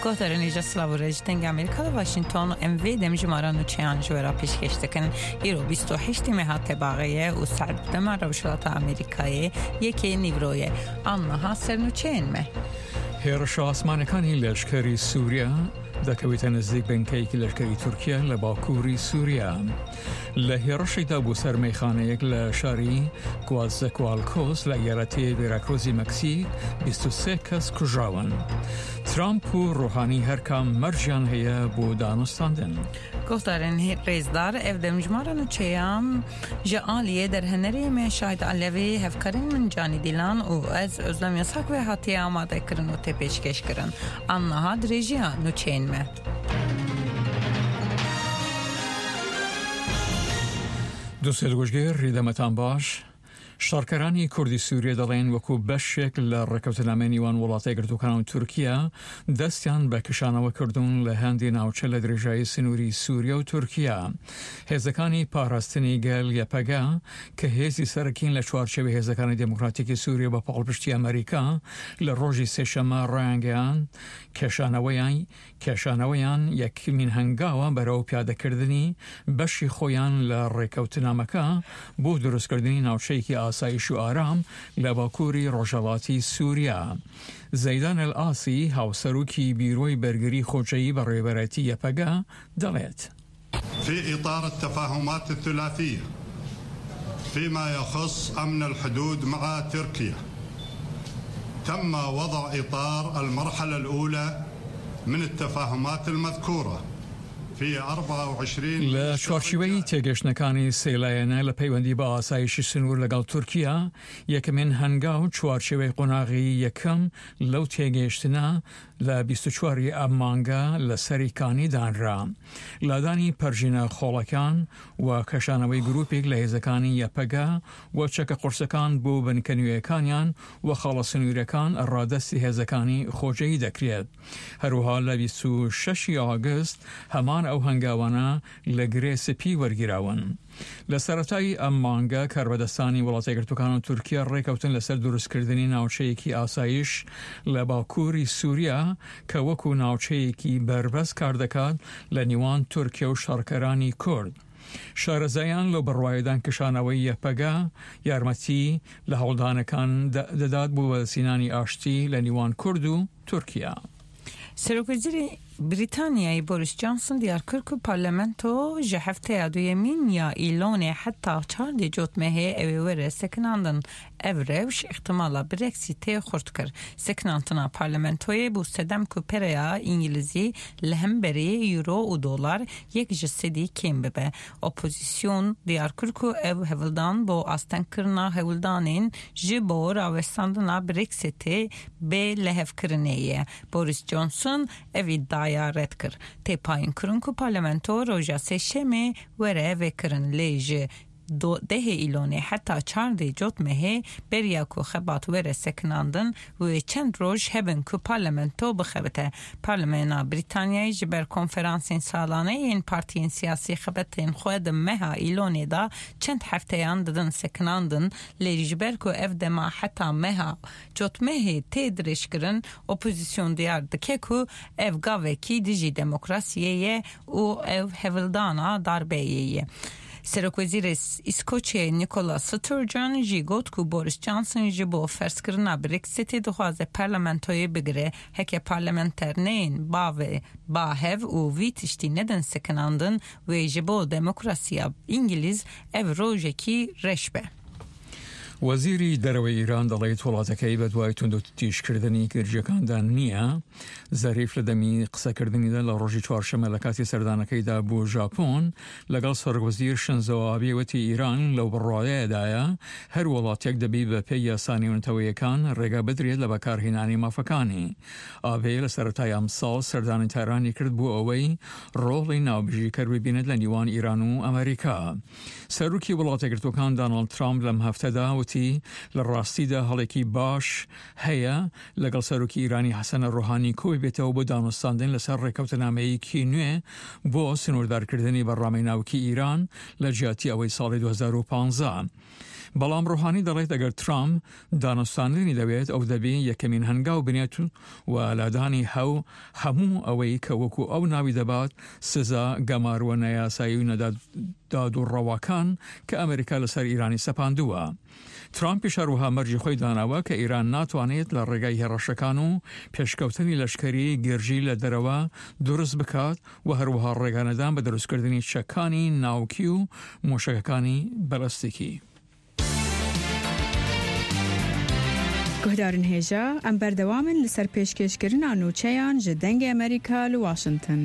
Guhdarên hêja silav û rêz ji Dengê Amerîka li Washington û em vê demjimara nûçeyan ji we re pêşkêş dikin. Îro 28 meha Tebaxê ye û saet bi dema Rojhilata Amerîkayê yekê nîvro ye. An niha ser nûçeyên me. Hêrişa asmanekani leşkerî Sûriye دەکەوێتە نزیک بنکەیەکی لەشکری تورکیا لە باکووری سووریا. لە هێڕشێکدا بۆ سەر مەیخانەیەک لە شاری کوازەکوالکۆس لە ئیالەتی ڤێراکرۆزی مەکسیک 23 کەس کوژراون. ترامپ و ڕۆحانی هەرکام مەرجیان هەیە بۆ دانوستاندن. Guhdarên rêzdar ev demjimara nûçeyan ji aliyê derhenerê me Şahid Alevî, hevkarên min Canî Dîlan û ez Özlem Yasak ve hatiye amadekirin û tê pêşkêşkirin. An niha dirêjiya nûçeyên me. Dostê goşgêr rîdemetan baş. شەڕکەرانی کوردی سووریە دەڵێن وەکو بەشێک لە ڕێکەوتنامەی نیوان وڵاتە یەکگرتووەکان و تورکیا دەستیان بە کشانەوە کردوون لە هەندی ناوچە لە درێژایی سنووری سووریە و تورکیا. هێزەکانی پاراستنی گەل یەپەگە کە هێزی سەرەکین لە چوارچێوەی هێزەکانی دێموکراتیکی سووریە بە پاڵپشتی ئەمەریکا لە ڕۆژی سێشەممە ڕایانگەیاند کێشانەوەیان کێشانەوەیان یەکمین هەنگاوە بەرەو پیادەکردنی بەشی خۆیان لە ڕێکەوتنامەکە بۆ دروستکردنی ناوچەیەکی ئاسایش و ئارام لە باکووری ڕۆژهەڵاتی سووریا. زەیدان ئەلئاسی، هاوسەرۆکی بیرۆی بەرگری خۆجێیی بەڕێوەبەرایەتی یەپەگە دەڵێت. في إطار التفاهمات الثلاثية فيما يخص أمن الحدود مع تركيا تم وضع إطار المرحلة الأولى من التفاهمات المذكورة في 24 لە چوارچیوەی تێگەشتنەکانی سێلایەنە لە پەیوەندی بە ئاسایشی سنوور لەگەڵ تورکیا یەکەمین هەنگاو چوارچێوەی قۆناغی یەکەم لەو تێگەیشتنە لە 24 ی ئەم مانگە لە سەری کانی دانرا. لادانی پەرژینە خۆڵەکان و کشانەوەی گروپێک لە هێزەکانی یەپەگە و چەکە قورسەکان بۆ بنکە نوێیەکانیان و خاڵە سنووریەکان ڕادەستی هێزەکانی خۆجێیی دەکرێت. هەروەها لە 26 ی ئاگست هەمان ئەو هەنگاوانە لە گرێ سپی وەرگیراون. لە سەرەتای ئەم مانگە کاربەدەستانی وڵاتە یەکگرتووەکان و تورکیا ڕێکەوتن لەسەر دروستکردنی ناوچەیەکی ئاسایش لە باکووری سوریا کە وەکو ناوچەیەکی بەربەست کاردەکات لە نیوان تورکیا و شەڕکەرانی کورد. شارەزایان لەو بڕوایەدان کشانەوەی یەپەگە یارمەتی لە هەوڵدانەکان دەدات بۆ بەدەستهێنانی ئاشتی لە نیوان کورد و تورکیا. Serokwezîrê Brîtanyayê Boris Johnson diyar kir ku parlamento ji hefteya duyemîn ya Îlonê heta çardê Cotmehê ew ê were sekinandin. Ev rewş îxtimala Brexitê xurt kir. Sekinandina parlamentoyê bû sedem ku pereya Îngilîzî li hemberî Euro û dolar yek ji sedî kêm bibe. Opozîsyon diyar kir ku ev hewldan bo astengkirina hewldanên ji bo rawestandina Brexitê bê lihevkirinê ye. Boris Johnson ev îdiaya red kir. Tê payînkirin ku parlamento roja sêşemê were vekirin lê ji dehê Îlonê heta çardê Cotmehê beriya ku xebat were sekinandin wê çend roj hebin ku parlamento bixebite. Parlamena Brîtanyayê ji ber konferansên salane yên partiyên siyasî xebetên xwe di meha Îlonê de çend hefteyan didin sekinandin lê ji ber ku ev dema heta meha Cotmehê tê dirêjkirin opozîsyon diyar dike ku ev gavekî dijî demokrasiyê ye û ew hewldana darbeyê ye. Serokwezîrê Îskoçyayê Nicola Sturgeon jî got ku Boris Johnson ji bo ferzkirina Brexitê dixwaze parlamentoyê bigire, heke parlamenter neyên bavê ba hev û vî tiştî nedin sekinandin wê ji bo demokrasiya Îngilîz ev rojekî reş be. وەزیری دەرەوەی ئیران دەڵێت وڵاتەکەی بە دوای توندوتیژکردنی گرژیەکاندا نییە. زەریف لە دەمی قسەکردنیدا لە ڕۆژی چوارشەممە لە کاتی سەردانەکەیدا بۆ ژاپۆن لەگەڵ سەرۆکوەزیر شنزۆ ئابی وتی ئیران لەو بڕوایەدایە هەر وڵاتێک دەبی بە پێی یاسا نێونەتەوەیەکان ڕێگا بدرێت لە بەکارهێنانی مافەکانی. ئابێ لە سەرەتای ئەمساڵ سەردانی تارانی کرد بۆ ئەوەی ڕۆڵی ناوبژیکەر ببینێت لە نیوان ئیران و ئەمەریکا. سەرۆکی وڵاتەیەکگرتووەکان داناڵد ترامپ لەم هەفتەدا وتی لە ڕاستیدا هەڵێکی باش هەیە لەگەڵ سەرۆکی ئیرانی حەسەن ڕۆحانی کۆی بێتەوە بۆ دانوستاندن لەسەر ڕێکەوتنامەیەکی نوێ بۆ سنووردارکردنی بەرنامەی ناوکی ئیران لە جیاتی ئەوەی ساڵی 2015. بەڵام ڕۆحانی دەڵێت ئەگەر ترامپ دانوستاندنی دەوێت ئەو دەبێ یەکەمین هەنگاو بنێت و لادانی هەو هەموو ئەوەی کە وەکو ئەو ناوی دەبات سزا گەماروە نایاسایی و نەداد و ڕەواکان کە ئەمریکا لەسەر ئیرانی سەپاندووە. ترامپیش هەروەها مەرجی خۆی داناوە کە ئیران ناتوانێت لە ڕێگای هێڕەشەکان و پێشکەوتنی لەشکەری گرژی لە دەرەوە دروست بکات و هەروەها ڕێگانەدان بە دروستکردنی چەکانی ناوکی و موشەکەکانی بەلەستیکی. Guhdarên hêja, em berdewam in li ser pêşkêşkirina nûçeyan ji Dengê Amerîka li Washington.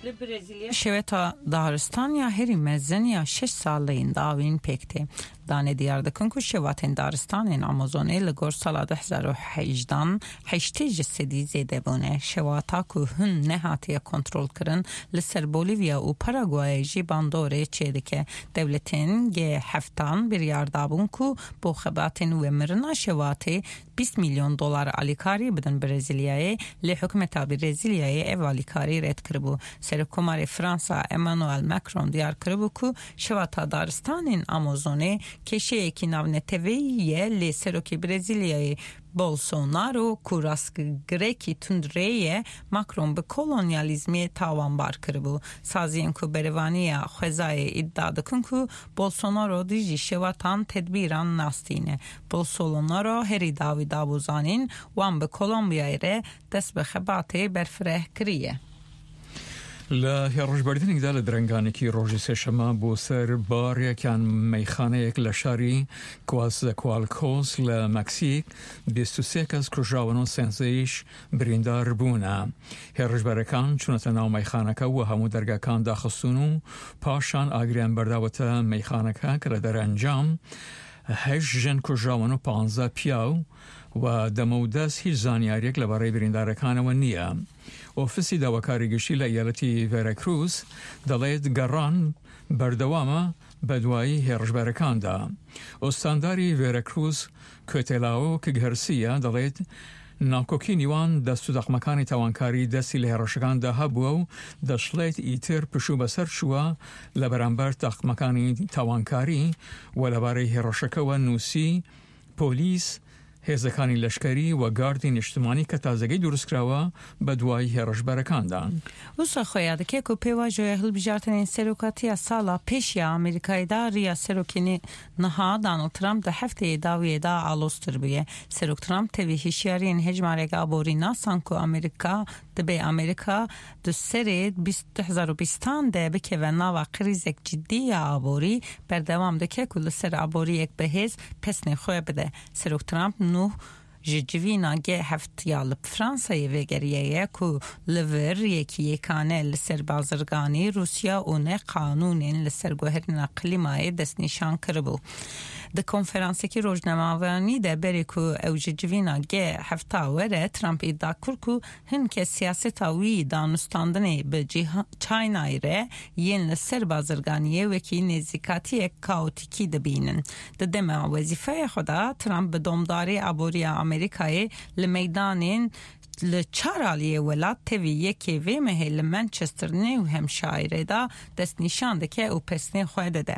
Li Brezîlya şeweta daristan ya herî mezin ya şeş salên dawîn pêk tê. Danê diyar dikin ku şewatên daristanên Amazonê li gor sala 2018 80 ji sedî zêde bûne. Şewata ku hin nehatiye kontrolkirin li ser Bolîvya û Paraguayê jî bandorê çêdike. Dewletên G7 biryar dabûn ku bo xebatên wemirina şewatê 20 milyon dolar alîkarî bidin Brezîlyayê lê hikûmeta Brezîlyayê ev alîkarî red kiribû. Serokkomarê Fransa Emmanuel Macron diyar kiribû ku şewata daristanên Amazonê kêşeyekî navneteweyî ye lê Serokê Brezîlyayê Bolsonaro ku rastgirekî tundrê ye Macron bi kolonyalizmê tawanbar kiribû. Saziyên ku berevaniya xwezayê îdia dikin ku Bolsonaro dijî şewatan tedbîran nastîne. Bolsonaro herî dawî dabû zanîn wan bi Kolombiyayê re dest bi xebatê berfireh kiriye. لە هێڕشبردنێکدا لە درەنگانێکی ڕۆژی سێشەمە بۆ سەر باڕێک یان مەیخانەیەک لە شاری کوازەکوالکۆس لە مەکسیک 23 کەس کوژراون و سێنزەیش بریندار بوونە. هێڕشبەرەکان چوونەتە ناو مەیخانەکە و هەموو دەرگاکان داخستوون و پاشان ئاگریان بەرداوەتە مەیخانەکە کە لە دەرەنجام هەشت ژن کوژراون و پانزە پیاو و دەمەودەست هیچ زانیاریەک لەبارەی بریندارەکانەوە نییە. ئۆفیسی داواکاری گشتی لە ئیالەتی ڤێراکروز دەڵێت گەڕان بەردەوامە بەدوای هێڕشبەرەکاندا. ئوستانداری ڤێراکروز کوێتێلاوک گهرسیە دەڵێت ناکۆکی نیوان دەست و دەقمەکانی تاوانکاری دەستی لە هێڕشەکاندا هەبووە و دەشڵێت ئیتر پشوو بەسەر چووە لە بەرامبەر تاقمەکانی تاوانکاری و لەبارەی هێڕشەکەوە نووسی پۆلیس، هێزەکانی لەشکەری و گاردی نیشتمانی کە تازەگەی دروستکراوە بەدوای هێڕشبەرەکاندان. Wisa xuya dike ku pêvajoya hilbijartinên serokatiya sala pêş ya Amerîkayê da riya serokê niha Donald Trump di hefteyê dawiyê da aloztir bûye. Serok Trump tevî hişyariyên hejmarek aborî nasan ku Amerîka dibe Amerîka di serê 2020 de bikeve nava krîzek cidî ya aborî berdewam dike ku li ser aboriyek bihêz pesnê xwe bide. Serok Trump nû ji civîna G7 ya li Fransayê vegeriye ku li vir yekî yekane li ser bazirganî Rûsya û ne qanûnên li ser guherîna klîmayê destnîşan kiribû. Di konferansekî rojnamevanî de berê ku ew ji civîna G7 were Trump îdia kir ku hin kes siyaseta wî danûstandinê bi Çaynayê re yên li ser bazirganiyê wekî nêzîkatiyek kaotîkî dibînin. Di dema wezîfeya xwe de Trump bi domdarî aboriya Amerîkayê li meydanên li çar aliyê welat tevî yekê vê mehê li Manchester New Hampshireê da destnîşan dike û pesnê xwe dide.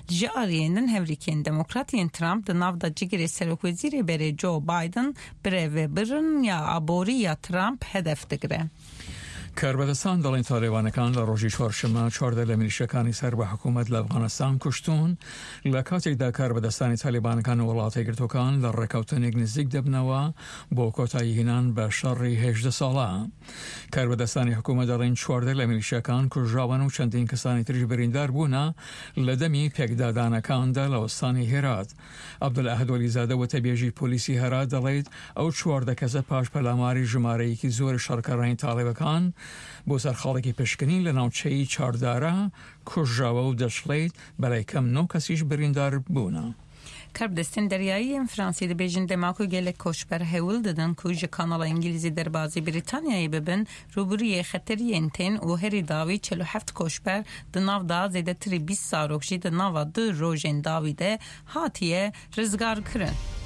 Ji aliyên din hevrîkên Demokrat yên Trump di nav da cigirê serokwezîrê berê Joe Biden birêvebirin ya aborî ya Trump hedef digire. کاربەدەستان دەڵێن تالیبانەکان لە ڕۆژی چوارشەممە 14 لە میلیشیاکانی سەر بە حکوومەت لە ئەفغانستان کوشتون لە کاتێکدا کاربەدەستانی تالیبانەکان و وڵاتە یەکگرتووەکان لە ڕێککەوتنێک نزیک دەبنەوە بۆ کۆتایی هێنان بە شەڕی 18 ساڵە. کاربەدەستانی حکوومەت دەڵێن 14 لە میلیشیاکان کوژراون و چەندین کەسانی تریش بریندار بوونە لە دەمی پێکدادانەکاندا لە ئوستانی هێرات. عەبدولئەحەد وەلیزادە وتەبێژی پۆلیسی هەرات دەڵێت، ئەو 14 کەسە پاش پەلاماری ژمارەیەکی زۆری شەڕکەرانی تاڵیبەکان بۆ سەر خاڵێکی پشکنین لە ناوچەی چاردارە کوژراوە و دەشڵێت، بەلای کەم نۆ کەسیش بریندار بوونە. Karbidestên deryayî yên Fransî dibêjin dema ku gelek koçber hewl didin ku ji kanala Îngilîzî derbazî Brîtanyayê bibin, rûbirûyê xeteriyên tên û herî dawî 47 koçber di nav da zêdetirî 20 zarok jî di nava du rojên dawî de hatiye rizgarkirin.